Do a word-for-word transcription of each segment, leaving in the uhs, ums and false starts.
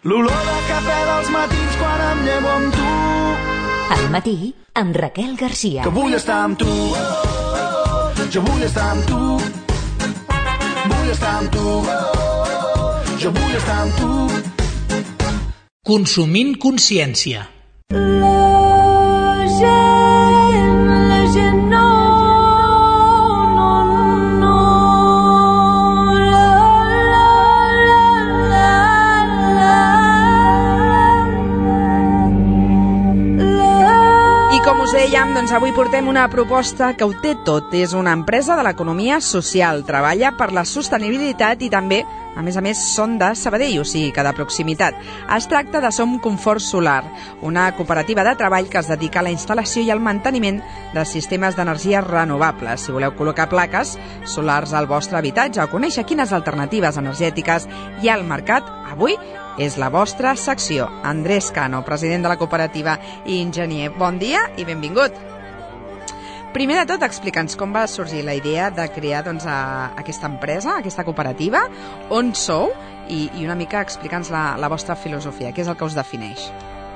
l'olor de cafè dels matins quan em llevo amb tu. Al matí, amb Raquel Garcia. Que vull estar amb tu, jo vull estar amb tu, vull estar amb tu, jo vull estar amb tu. Consumint consciència. La gent, la gent no, no, no, la, la, la, la. I com us dèiem, doncs avui portem una proposta que ho té tot. És una empresa de l'economia social, treballa per la sostenibilitat i també, a més a més, són de Sabadell, o sigui que de proximitat. Es tracta de Som Confort Solar, una cooperativa de treball que es dedica a la instal·lació i al manteniment de sistemes d'energies renovables. Si voleu col·locar plaques solars al vostre habitatge o conèixer quines alternatives energètiques hi ha al mercat, avui és la vostra secció. Andrés Cano, president de la cooperativa i enginyer. Bon dia i benvingut. Primer de tot, explica'ns com va sorgir la idea de crear doncs, a, aquesta empresa, aquesta cooperativa, on sou, i, i una mica explica'ns la, la vostra filosofia, què és el que us defineix.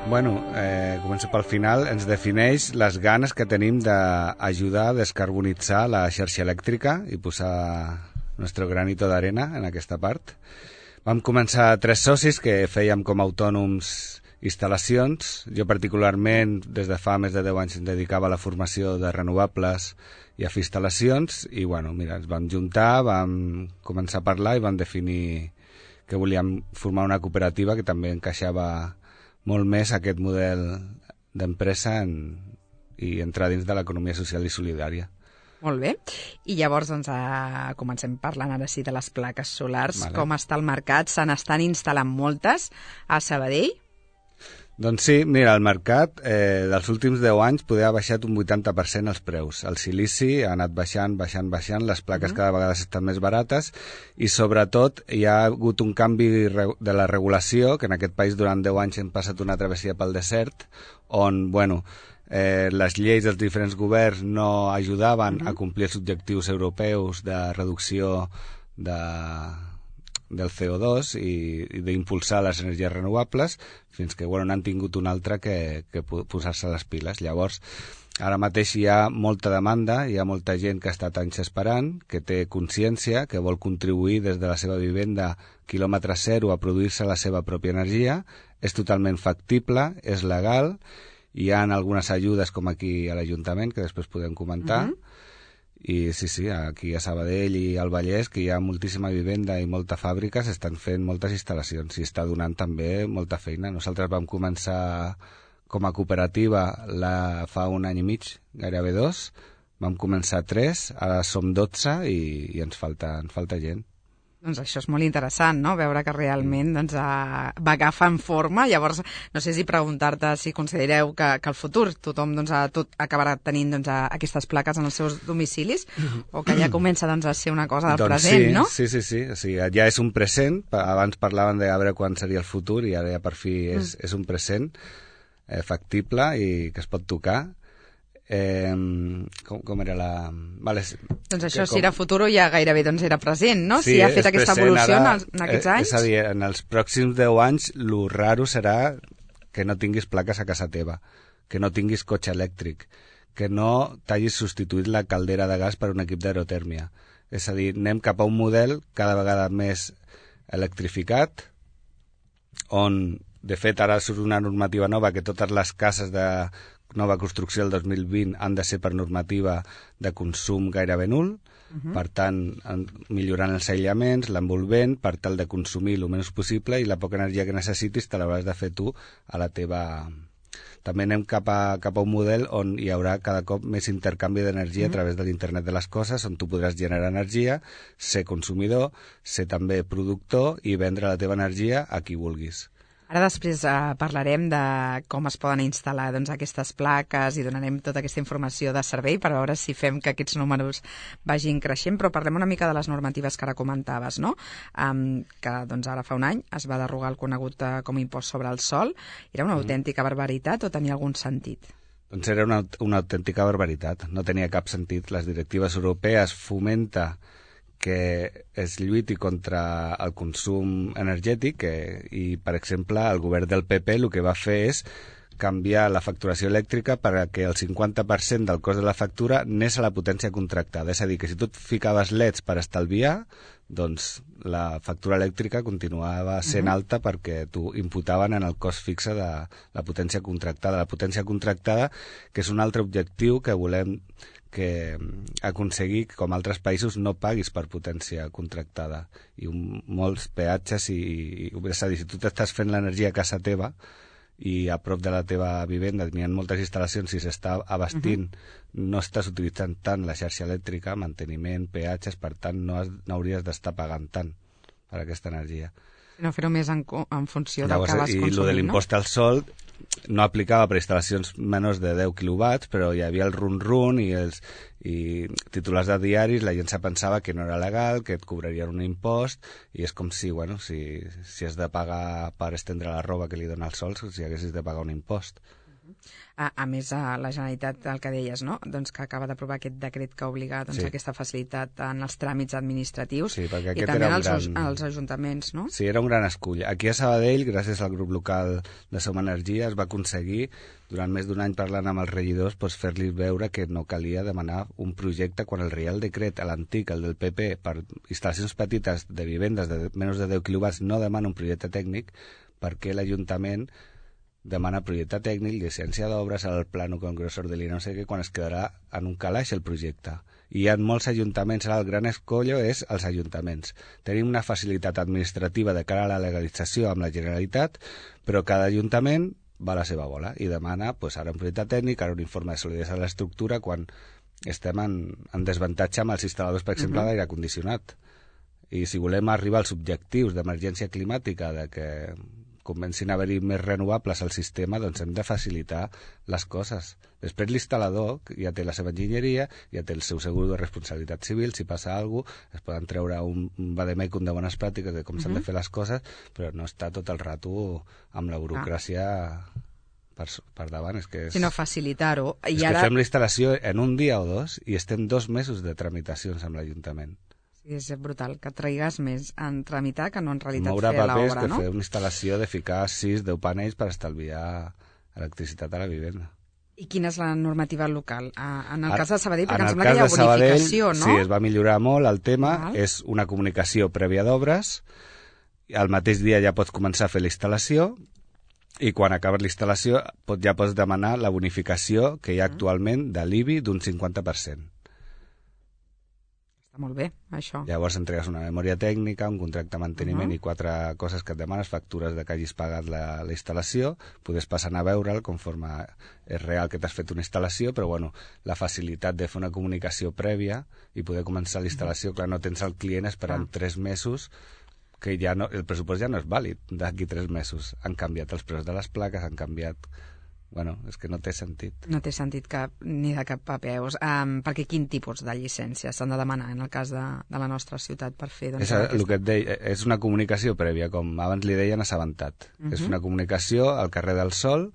Bueno, eh, començo pel final. Ens defineix les ganes que tenim d'ajudar a descarbonitzar la xarxa elèctrica i posar el nostre granito d'arena en aquesta part. Vam començar tres socis que fèiem com a autònoms instal·lacions. Jo particularment des de fa més de deu anys em dedicava a la formació de renovables i a fer instal·lacions i bueno, mira, ens vam juntar, vam començar a parlar i vam definir que volíem formar una cooperativa que també encaixava molt més aquest model d'empresa en, i entrar dins de l'economia social i solidària. Molt bé. I llavors doncs, a... comencem parlant ara sí de les plaques solars. Vale. Com està el mercat? Se n'estan instal·lant moltes a Sabadell? Doncs sí, mira, el mercat eh, dels últims deu anys poder ha baixat un vuitanta per cent els preus. El silici ha anat baixant, baixant, baixant, les plaques uh-huh. cada vegada estan més barates i sobretot hi ha hagut un canvi de la regulació, que en aquest país durant deu anys hem passat una travessia pel desert, on, bueno, eh, les lleis dels diferents governs no ajudaven uh-huh. a complir els objectius europeus de reducció de... del C O dos i, i d'impulsar les energies renovables fins que bueno, n'han tingut un altre que, que posar-se les piles. Llavors, ara mateix hi ha molta demanda, hi ha molta gent que ha estat anys esperant, que té consciència, que vol contribuir des de la seva vivenda quilòmetre zero a produir-se la seva pròpia energia, és totalment factible, és legal, hi ha algunes ajudes com aquí a l'Ajuntament, que després podem comentar, uh-huh. I sí, sí, aquí a Sabadell i al Vallès, que hi ha moltíssima vivenda i molta fàbrica, s'estan fent moltes instal·lacions i està donant també molta feina. Nosaltres vam començar com a cooperativa la, fa un any i mig, gairebé dos, vam començar tres, ara som dotze i, i ens falta, ens falta gent. Doncs això és molt interessant, no?, veure que realment doncs, a, va agafant forma. Llavors, no sé si preguntar-te si considereu que, que el futur tothom doncs, a, tot acabarà tenint doncs, a, aquestes plaques en els seus domicilis o que ja comença doncs, a ser una cosa del doncs present, sí, no? Sí, sí, sí. O sigui, ja és un present. Abans parlaven de veure quan seria el futur i ara ja per fi és, mm. és un present eh, factible i que es pot tocar. Eh, com, com era la... Vale, doncs això, com... si era futur ja gairebé doncs era present, no? Sí, si ha fet aquesta present, evolució ara, en, en aquests eh, anys. És a dir, en els pròxims deu anys lo raro serà que no tinguis plaques a casa teva, que no tinguis cotxe elèctric, que no t'hagis substituït la caldera de gas per un equip d'aerotèrmia. És a dir, anem cap a un model cada vegada més electrificat, on, de fet, ara surt una normativa nova que totes les cases de nova construcció del dos mil vint han de ser per normativa de consum gairebé nul, uh-huh. per tant, millorant els aïllaments, l'envolvent, per tal de consumir el menys possible i la poca energia que necessitis te l'hauràs de fer tu a la teva... També anem cap a, cap a un model on hi haurà cada cop més intercanvi d'energia uh-huh. a través de l'internet de les coses, on tu podràs generar energia, ser consumidor, ser també productor i vendre la teva energia a qui vulguis. Ara després eh, parlarem de com es poden instal·lar doncs, aquestes plaques i donarem tota aquesta informació de servei per veure si fem que aquests números vagin creixent, però parlem una mica de les normatives que ara comentaves, no? Um, que doncs, ara fa un any es va derogar el conegut eh, com a impost sobre el sòl. Era una autèntica barbaritat o tenia algun sentit? Doncs era una, una autèntica barbaritat, no tenia cap sentit. Les directives europees fomenta que es lluiti contra el consum energètic que, i, per exemple, el govern del P P el que va fer és canviar la facturació elèctrica perquè el cinquanta per cent del cost de la factura anés a la potència contractada. És a dir, que si tu et ficaves L E Ds per estalviar, doncs la factura elèctrica continuava sent uh-huh. alta perquè t'ho imputaven en el cost fixe de la potència contractada. La potència contractada, que és un altre objectiu que volem que aconseguir que, com altres països, no paguis per potència contractada. I un, molts peatges, i, i, és a dir, si tu t'estàs fent l'energia a casa teva i a prop de la teva vivenda n'hi ha moltes instal·lacions, si s'està abastint, uh-huh. no estàs utilitzant tant la xarxa elèctrica, manteniment, peatges, per tant no, has, no hauries d'estar pagant tant per aquesta energia. No fer-ho més en, en funció Llavors, del que vas i consumint, lo de l'impost no? al sol no aplicava per instal·lacions menors de deu quilowatts, però hi havia el run-run i els i titulars de diaris, la gent se pensava que no era legal, que et cobrarien un impost, i és com si, bueno, si, si has de pagar per estendre la roba que li dona el sol, si haguessis de pagar un impost. A, a més, a la Generalitat, el que deies, no? Doncs que acaba d'aprovar aquest decret que obliga doncs, sí. aquesta facilitat en els tràmits administratius sí, i també als, gran... als ajuntaments, no? Sí, era un gran escull. Aquí a Sabadell, gràcies al grup local de Som Energia, es va aconseguir, durant més d'un any parlant amb els regidors, doncs fer-los veure que no calia demanar un projecte quan el Reial Decret, l'antic, el del P P, per instal·lacions petites de vivendes de menys de deu quilowatts, no demana un projecte tècnic, perquè l'Ajuntament demana projecte tècnic, llicència d'obres, el plano congresor de l'I no sé què, quan es quedarà en un calaix el projecte. I hi ha molts ajuntaments, ara el gran escollo és els ajuntaments. Tenim una facilitat administrativa de cara a la legalització amb la Generalitat, però cada ajuntament va a la seva bola i demana pues, ara un projecte tècnic, ara un informe de solidesa de l'estructura, quan estem en, en desavantatge amb els instal·ladors, per exemple, uh-huh. d'aire condicionat. I si volem arribar als objectius d'emergència climàtica, de que comencin a haver-hi més renovables al sistema, doncs hem de facilitar les coses. Després l'instal·lador ja té la seva enginyeria, ja té el seu segur de responsabilitat civil, si passa alguna cosa, es poden treure un, un vademecum de bones pràctiques de com uh-huh. s'han de fer les coses, però no està tot el rato amb la burocràcia ah. per, per davant. És que és, sinó facilitar-ho. I és ara... que fem la instal·lació en un dia o dos i estem dos mesos de tramitacions amb l'Ajuntament. És brutal, que traigues més en tramitar que no en realitat moure fer l'obra, no? Moure papers que fer una instal·lació de ficar sis deu panells per estalviar electricitat a la vivenda. I quina és la normativa local? En el a, cas de Sabadell, perquè em sembla que hi ha bonificació, Sabadell, no? Sí, es va millorar molt el tema, Val. És una comunicació prèvia d'obres, al mateix dia ja pots començar a fer la instal·lació, i quan acabes la instal·lació pot, ja pots demanar la bonificació que hi ha actualment de l'I B I d'un cinquanta per cent. Està molt bé, això. Llavors entregues una memòria tècnica, un contracte de manteniment uh-huh. i quatre coses que et demanes, factures de que hagis pagat la, la instal·lació, podes passar a veure'l conforme és real que t'has fet una instal·lació, però bueno, la facilitat de fer una comunicació prèvia i poder començar la instal·lació, uh-huh. clar, no tens el client esperant uh-huh. tres mesos, que ja no, el pressupost ja no és vàlid d'aquí tres mesos. Han canviat els preus de les plaques, han canviat... Bueno, és que no té sentit. No té sentit cap, ni de cap papeus. Um, perquè quin tipus de llicència s'han de demanar en el cas de, de la nostra ciutat per fer... Doncs, és, aquesta... el que et deia, és una comunicació prèvia, com abans li deien assabentat. Uh-huh. És una comunicació al carrer del Sol,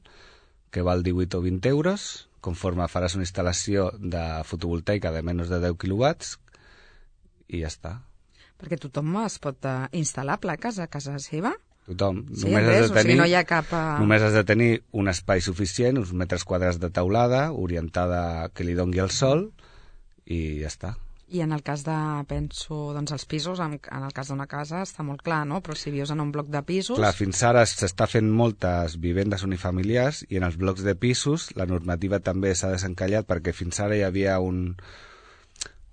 que val divuit o vint euros, conforme faràs una instal·lació de fotovoltaica de menys de deu quilowatts, i ja està. Perquè tothom es pot uh, instal·lar plaques a casa seva? Tothom. Sí, només, res, has de tenir, o sigui, no hi ha cap... Uh... només has de tenir un espai suficient, uns metres quadrats de teulada, orientada que li dongui el sol, i ja està. I en el cas de, penso, doncs els pisos, en, en el cas d'una casa està molt clar, no? Però si vius en un bloc de pisos... Clar, fins ara s'està fent moltes vivendes unifamiliars i en els blocs de pisos la normativa també s'ha desencallat perquè fins ara hi havia un,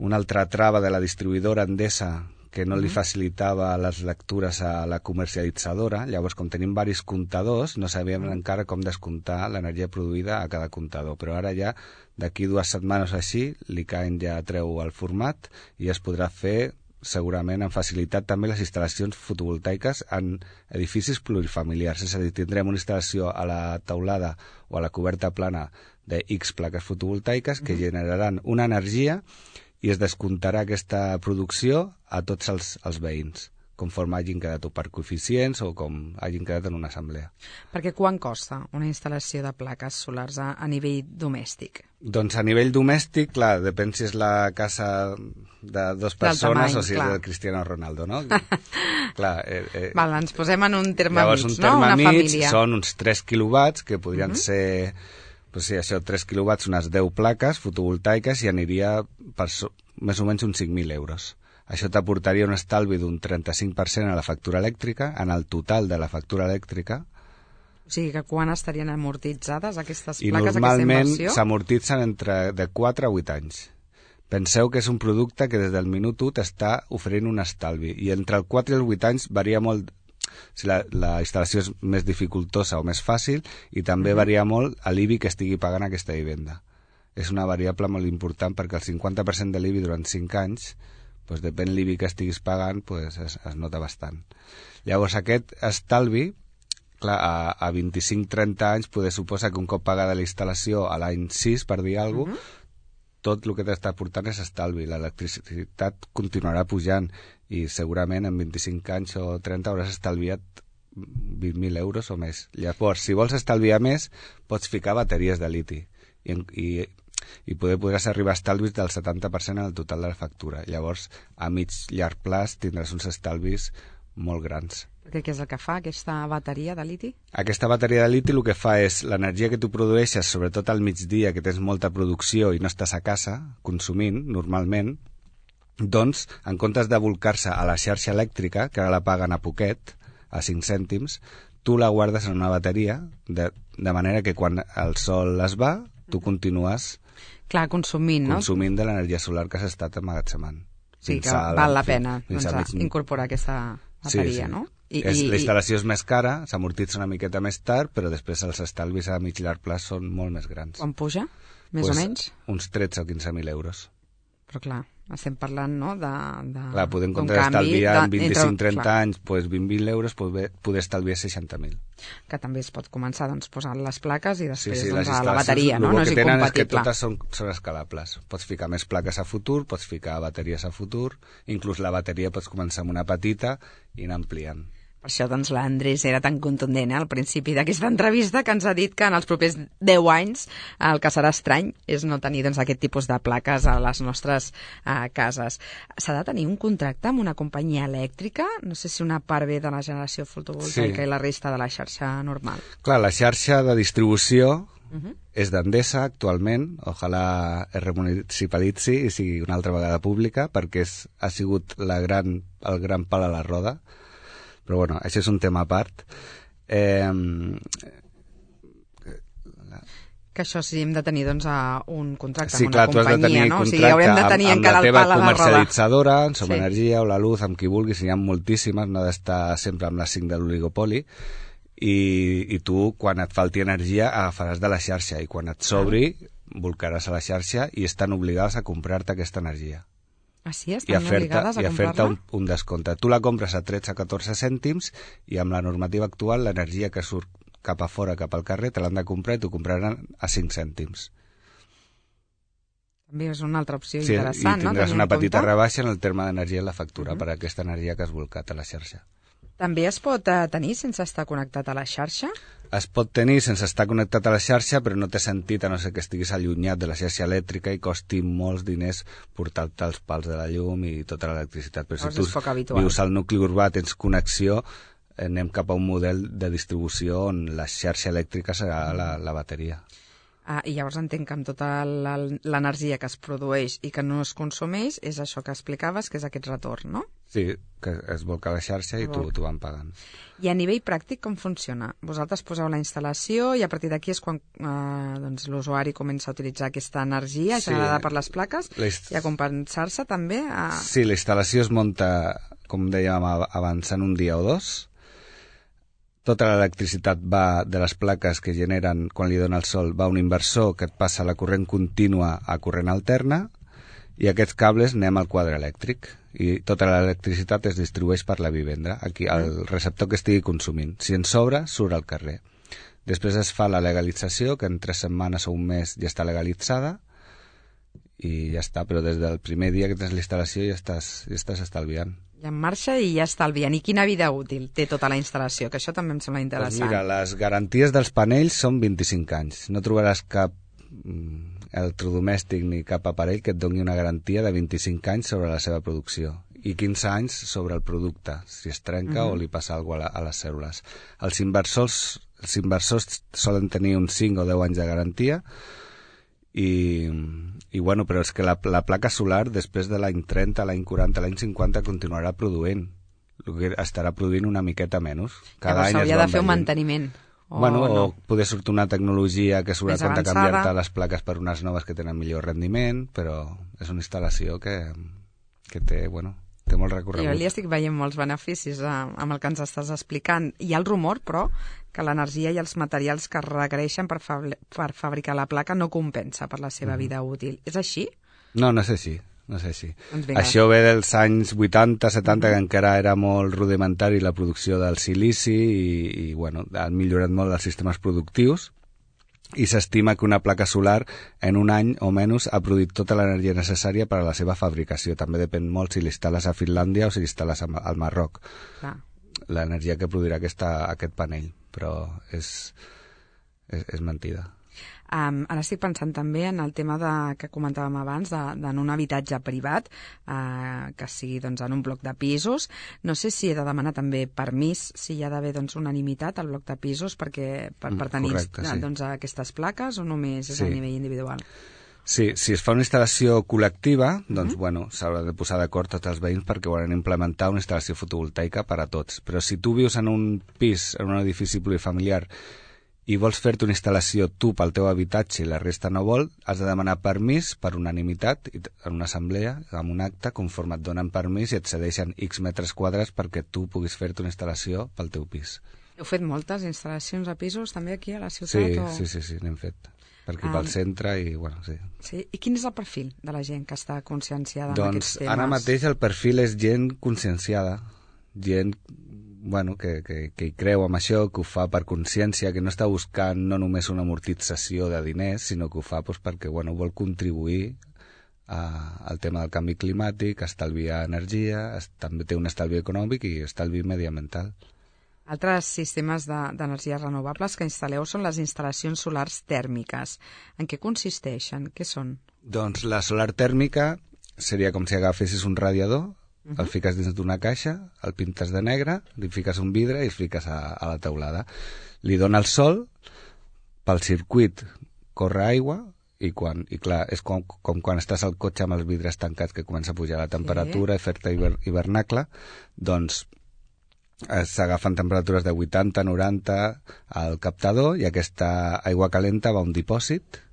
una altra trava de la distribuïdora Endesa que no li facilitava les lectures a la comercialitzadora. Llavors, com tenim diversos comptadors, no sabíem mm. encara com descomptar l'energia produïda a cada comptador. Però ara ja, d'aquí dues setmanes així, l'I C A E N ja treu el format i es podrà fer segurament amb facilitat també les instal·lacions fotovoltaiques en edificis plurifamiliars. És a dir, tindrem una instal·lació a la teulada o a la coberta plana de X plaques fotovoltaiques que mm. generaran una energia i es descomptarà aquesta producció a tots els, els veïns, conforme hagin quedat o per coeficients o com hagin quedat en una assemblea. Perquè quan costa una instal·lació de plaques solars a, a nivell domèstic? Doncs a nivell domèstic, clar, depèn si és la casa de dues persones tamany, o si clar. és el Cristiano Ronaldo, no? Clar, eh, eh, Val, ens posem en un terme llavors, mig, un no? terme Una mig família. són uns tres quilowatts, que podrien Mhm. ser, pues sí, això, tres quilowatts, unes deu plaques fotovoltaiques, i aniria per so, més o menys uns cinc mil euros. Això t'aportaria un estalvi d'un trenta-cinc per cent a la factura elèctrica, en el total de la factura elèctrica, O sigui que quan estarien amortitzades aquestes i plaques, aquesta normalment inversió? s'amortitzen entre de quatre a vuit anys. Penseu que és un producte que des del minut u t'està oferint un estalvi, i entre el quatre i els vuit anys varia molt si la, la instal·lació és més dificultosa o més fàcil, i també Mhm. varia molt l'I B I que estigui pagant aquesta vivenda. És una variable molt important perquè el cinquanta per cent de l'I B I durant cinc anys, doncs depèn l'I B I que estiguis pagant, doncs es, es nota bastant. Llavors aquest estalvi, clar, a, a vint-i-cinc trenta anys poder suposar que un cop pagada la instal·lació a l'any sis, per dir alguna cosa, Mhm. tot el que t'està portant és estalvi. L'electricitat continuarà pujant i segurament en vint-i-cinc anys o trenta hauràs estalviat vint mil euros o més. Llavors, si vols estalviar més, pots ficar bateries de liti i, i, i poder podràs arribar a estalvis del setanta per cent en el total de la factura. Llavors, a mig llarg plaç tindràs uns estalvis molt grans. Perquè què és el que fa aquesta bateria de liti? Aquesta bateria de liti el que fa és l'energia que tu produeixes, sobretot al migdia, que tens molta producció i no estàs a casa consumint normalment, doncs, en comptes de volcar-se a la xarxa elèctrica, que ara la paguen a poquet, a cinc cèntims, tu la guardes en una bateria, de, de manera que quan el sol es va, tu continues Clar, consumint, no? consumint de l'energia solar que has estat emmagatzemant. Sí, que Fins a val la fin- pena fins doncs, a a mig- incorporar aquesta bateria, sí, sí. no? I, és, i, la instal·lació és més cara, s'amortitza una miqueta més tard, però després els estalvis a mig llarg plaç són molt més grans. Quan puja, més Pues, o menys? Uns tretze o quinze mil euros. Però clar, estem parlant, no?, de... de Clar, podem d'un comptar canvi estalviar en de- vint-i-cinc trenta clar, anys pues, vint mil euros, poder, poder estalviar seixanta mil. que també es pot començar doncs, posant les plaques i Sí, després sí, doncs, les a la instal·lacions, bateria, no? el No que és tenen és que incompatible. totes són, són escalables. Pots ficar més plaques a futur, pots ficar bateries a futur, inclús la bateria pots començar amb una petita i anar ampliant. Per això doncs, l'Andrés era tan contundent eh, al principi d'aquesta entrevista, que ens ha dit que en els propers deu anys el que serà estrany és no tenir doncs, aquest tipus de plaques a les nostres eh, cases. S'ha de tenir un contracte amb una companyia elèctrica? No sé si una part ve de la generació fotovoltaica Sí. i la resta de la xarxa normal. Clar, la xarxa de distribució Uh -huh. és d'Endesa actualment, ojalà es remunicipalitzi i sigui una altra vegada pública, perquè és, ha sigut la gran, el gran pal a la roda. Però bueno, això és un tema a part. Eh, Que això sí, hem de tenir doncs, a un contracte sí, amb clar, una tu has de companyia, tenir no? O contracte sigui, haurem de tenir amb, amb encara la el teva pal a la roda. comercialitzadora, amb Som Sí. Energia o la Luz, amb qui vulguis, n'hi ha moltíssimes, no ha d'estar sempre amb les cinc de l'oligopoli, i, i tu, quan et falti energia, agafaràs de la xarxa, i quan et sobri, volcaràs a la xarxa i estan obligades a comprar-te aquesta energia. Ah, sí? I a Estan fer-te obligades a i a fer-te comprar-la? un, un descompte. Tu la compres a tretze a catorze cèntims i amb la normativa actual l'energia que surt cap a fora, cap al carrer, te l'han de comprar i t'ho compraran a cinc cèntims. També és una altra opció Sí, interessant, i no? tindràs Tenint una en petita compte. rebaixa en el terme d'energia en la factura Mhm. per aquesta energia que has volcat a la xarxa. També es pot eh, tenir sense estar connectat a la xarxa? Es pot tenir sense estar connectat a la xarxa, però no té sentit, a no ser que estiguis allunyat de la xarxa elèctrica i costi molts diners portar-te els pals de la llum i tota l'electricitat. Però Llavors si és tu poc habitual. vius al nucli urbà, tens connexió, anem cap a un model de distribució on la xarxa elèctrica serà la, la bateria. Ah, I llavors entenc que amb tota la- l'energia que es produeix i que no es consumeix és això que explicaves, que és aquest retorn, no? Sí, que es volca a la xarxa i tu, tu van pagant. I a nivell pràctic com funciona? Vosaltres poseu la instal·lació i a partir d'aquí és quan eh, doncs, l'usuari comença a utilitzar aquesta energia Sí. generada per les plaques La hist- i a compensar-se també a... Sí, la instal·lació es munta, com dèiem ab- abans, en un dia o dos. Tota l'electricitat va de les plaques que generen quan li dona el sol, va a un inversor que et passa la corrent contínua a corrent alterna, i aquests cables anem al quadre elèctric i tota l'electricitat es distribueix per la vivenda, aquí al receptor que estigui consumint. Si en sobra, surt al carrer. Després es fa la legalització, que en tres setmanes o un mes ja està legalitzada, i ja està, però des del primer dia que tens la instal·lació ja estàs, ja estàs estalviant. I en marxa i ja estalvien. I quina vida útil té tota la instal·lació? Que això també em sembla interessant. Pues mira, les garanties dels panells són vint-i-cinc anys. No trobaràs cap electrodomèstic ni cap aparell que et doni una garantia de vint-i-cinc anys sobre la seva producció i quinze anys sobre el producte, si es trenca uh-huh. o li passa alguna cosa a, a les cèl·lules. Els inversors, els inversors solen tenir uns cinc o deu anys de garantia i, i bueno, però és que la, la placa solar després de l'any trenta, l'any quaranta, l'any cinquanta continuarà produint. Estarà produint una miqueta menys. Cada Llavors any s'hauria de fer un manteniment. O bueno, no. o poder sortir una tecnologia que s'haurà de canviar-te les plaques per unes noves que tenen millor rendiment, però és una instal·lació que, que té, bueno, té molt recorregut. Jo li estic veient molts beneficis eh, amb el que ens estàs explicant. Hi ha el rumor, però, que l'energia i els materials que es requereixen per, fa per fabricar la placa no compensa per la seva mm. vida útil. És així? No, no és així. No sé si. Doncs això ve dels anys vuitanta, setanta, que encara era molt rudimentari la producció del silici i, i bueno, han millorat molt els sistemes productius i s'estima que una placa solar en un any o menys ha produït tota l'energia necessària per a la seva fabricació. També depèn molt si l'instal·les a Finlàndia o si l'instal·les al Marroc. Ah. L'energia que produirà aquesta, aquest panell, però és, és, és mentida. Um, ara estic pensant també en el tema de, que comentàvem abans, d'en de, un habitatge privat, uh, que sigui doncs, en un bloc de pisos. No sé si he de demanar també permís, si hi ha d'haver doncs, unanimitat al bloc de pisos perquè, per, per tenir Correcte, sí. doncs, aquestes plaques o només és sí. a nivell individual? Sí, si es fa una instal·lació col·lectiva, doncs, mm-hmm. bueno, s'haurà de posar d'acord tots els veïns perquè volen implementar una instal·lació fotovoltaica per a tots. Però si tu vius en un pis, en un edifici plurifamiliar, i vols fer-te una instal·lació tu pel teu habitatge i la resta no vol, has de demanar permís per unanimitat en una assemblea, amb un acte, conforme et donen permís i et cedeixen X metres quadrats perquè tu puguis fer-te una instal·lació pel teu pis. Heu fet moltes instal·lacions a pisos també aquí a la ciutat? Sí, o... sí, sí, sí, n'hem fet. Per aquí um, pel centre i, bueno, sí. Sí. I quin és el perfil de la gent que està conscienciada doncs, en aquests temes? Doncs ara mateix el perfil és gent conscienciada, gent bueno, que, que, que hi creu en això, que ho fa per consciència, que no està buscant no només una amortització de diners, sinó que ho fa doncs, perquè bueno, vol contribuir a, al tema del canvi climàtic, estalviar energia, es, també té un estalvi econòmic i estalvi mediambiental. Altres sistemes d'energies de, renovables que instal·leu són les instal·lacions solars tèrmiques. En què consisteixen? Què són? Doncs la solar tèrmica seria com si agafessis un radiador, Uh-huh. el fiques dins d'una caixa, el pintes de negre, li fiques un vidre i el fiques a, a la teulada. Li dona el sol, pel circuit corre aigua i, quan, i clar, és com, com quan estàs al cotxe amb els vidres tancats que comença a pujar la temperatura sí. i fer-te hiver, hivernacle, doncs s'agafen temperatures de vuitanta a noranta al captador i aquesta aigua calenta va a un dipòsit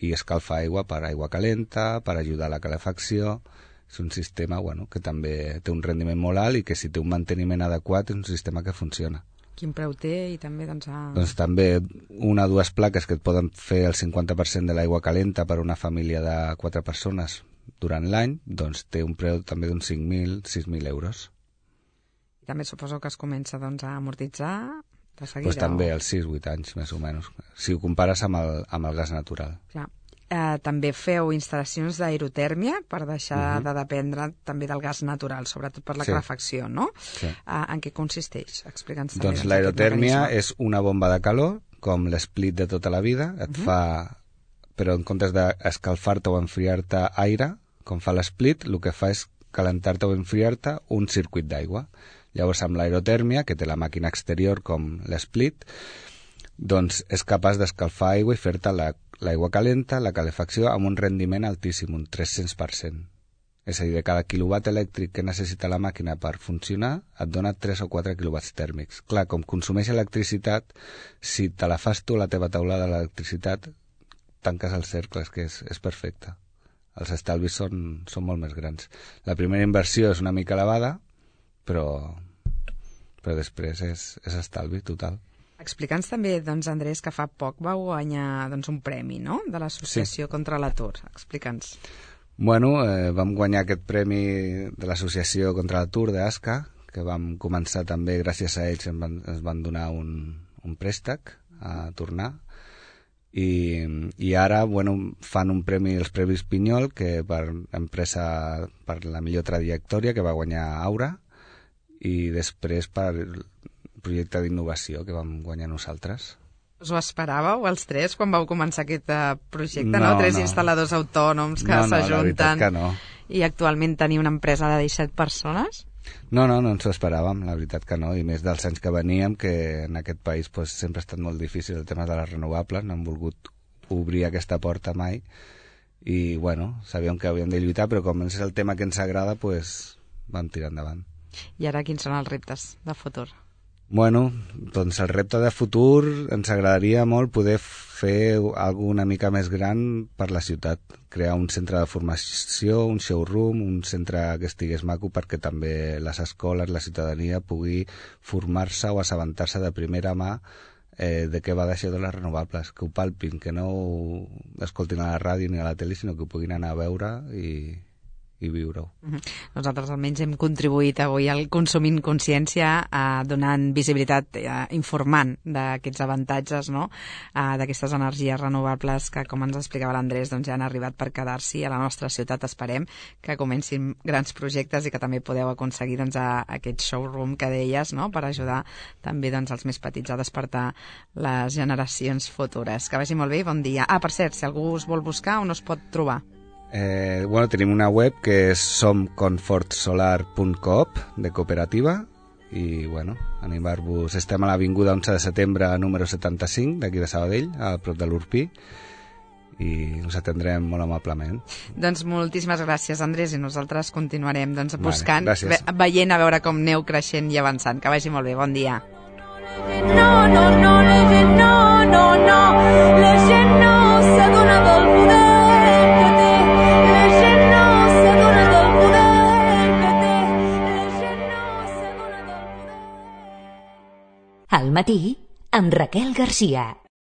i escalfa aigua per aigua calenta, per ajudar a la calefacció. És un sistema bueno, que també té un rendiment molt alt i que si té un manteniment adequat és un sistema que funciona. Quin preu té i també doncs... A... Doncs també una o dues plaques que et poden fer el cinquanta per cent de l'aigua calenta per a una família de quatre persones durant l'any, doncs té un preu també d'uns cinc mil, sis mil euros. I també suposo que es comença doncs, a amortitzar de seguida? Pues també o... als sis vuit anys, més o menys, si ho compares amb el, amb el gas natural. Clar. Eh, també feu instal·lacions d'aerotèrmia per deixar uh-huh. de dependre també del gas natural, sobretot per la sí. calefacció, no? Sí. Eh, en què consisteix? Explica'ns també. Doncs l'aerotèrmia és una bomba de calor, com l'split de tota la vida, et uh-huh. fa, però en comptes d'escalfar-te o enfriar-te aire, com fa l'split, el que fa és calentar-te o enfriar-te un circuit d'aigua. Llavors, amb l'aerotèrmia, que té la màquina exterior com l'split, doncs és capaç d'escalfar aigua i fer-te la l'aigua calenta, la calefacció, amb un rendiment altíssim, un tres-cents per cent. És a dir, de cada quilowatt elèctric que necessita la màquina per funcionar, et dona tres o quatre quilowatts tèrmics. Clar, com consumeix electricitat, si te la fas tu la teva taulada d'electricitat, tanques el cercle, és que és, és perfecte. Els estalvis són, són molt més grans. La primera inversió és una mica elevada, però, però després és, és estalvi total. Explica'ns també, doncs, Andrés, que fa poc vau guanyar doncs, un premi, no?, de l'Associació sí. contra l'Atur. Explica'ns. Bueno, eh, vam guanyar aquest premi de l'Associació contra l'Atur d'ASCA, que vam començar també, gràcies a ells, ens van, ens van donar un, un préstec a tornar. I, i ara, bueno, fan un premi, els Premis Pinyol, que per empresa, per la millor trajectòria, que va guanyar Aura, i després per el projecte d'innovació que vam guanyar nosaltres. Us ho esperàveu, els tres, quan vau començar aquest uh, projecte, no? No, Tres no. instal·ladors autònoms que No, no, la s'ajunten veritat que no. i actualment tenir una empresa de disset persones? No, no, no ens ho esperàvem, la veritat que no, i més dels anys que veníem, que en aquest país pues, sempre ha estat molt difícil el tema de les renovables, no hem volgut obrir aquesta porta mai, i bueno, sabíem que havíem de lluitar, però com és el tema que ens agrada, pues, vam tirar endavant. I ara quins són els reptes de futur? Bueno, doncs el repte de futur ens agradaria molt poder fer alguna mica més gran per la ciutat, crear un centre de formació, un showroom, un centre que estigués maco perquè també les escoles, la ciutadania pugui formar-se o assabentar-se de primera mà eh, de què va d'això de les renovables, que ho palpin, que no ho escoltin a la ràdio ni a la tele, sinó que ho puguin anar a veure i... i viure-ho. Nosaltres almenys hem contribuït avui al Consumint Consciència eh, donant visibilitat, eh, informant d'aquests avantatges, no? eh, d'aquestes energies renovables que, com ens explicava l'Andrés, doncs ja han arribat per quedar-s'hi a la nostra ciutat. Esperem que comencin grans projectes i que també podeu aconseguir doncs, a, a aquest showroom que deies, no? Per ajudar també doncs, els més petits a despertar les generacions futures. Que vagi molt bé i bon dia. Ah, per cert, si algú us vol buscar, on us pot trobar? Eh, bueno, tenim una web que és som confort solar punt coop de cooperativa i bueno, animar-vos. Estem a l'avinguda onze de setembre número setanta-cinc d'aquí de Sabadell, a prop de l'Urpí, i us atendrem molt amablement. Doncs moltíssimes gràcies, Andrés, i nosaltres continuarem doncs, Vale, buscant, gràcies. ve veient a veure com aneu creixent i avançant. Que vagi molt bé, bon dia. No, no, no, la gent no, no, no, la gent no s'adona del poder que té, la gent no s'adona del poder que té, la gent no s'adona del poder. Al matí, amb Raquel Garcia.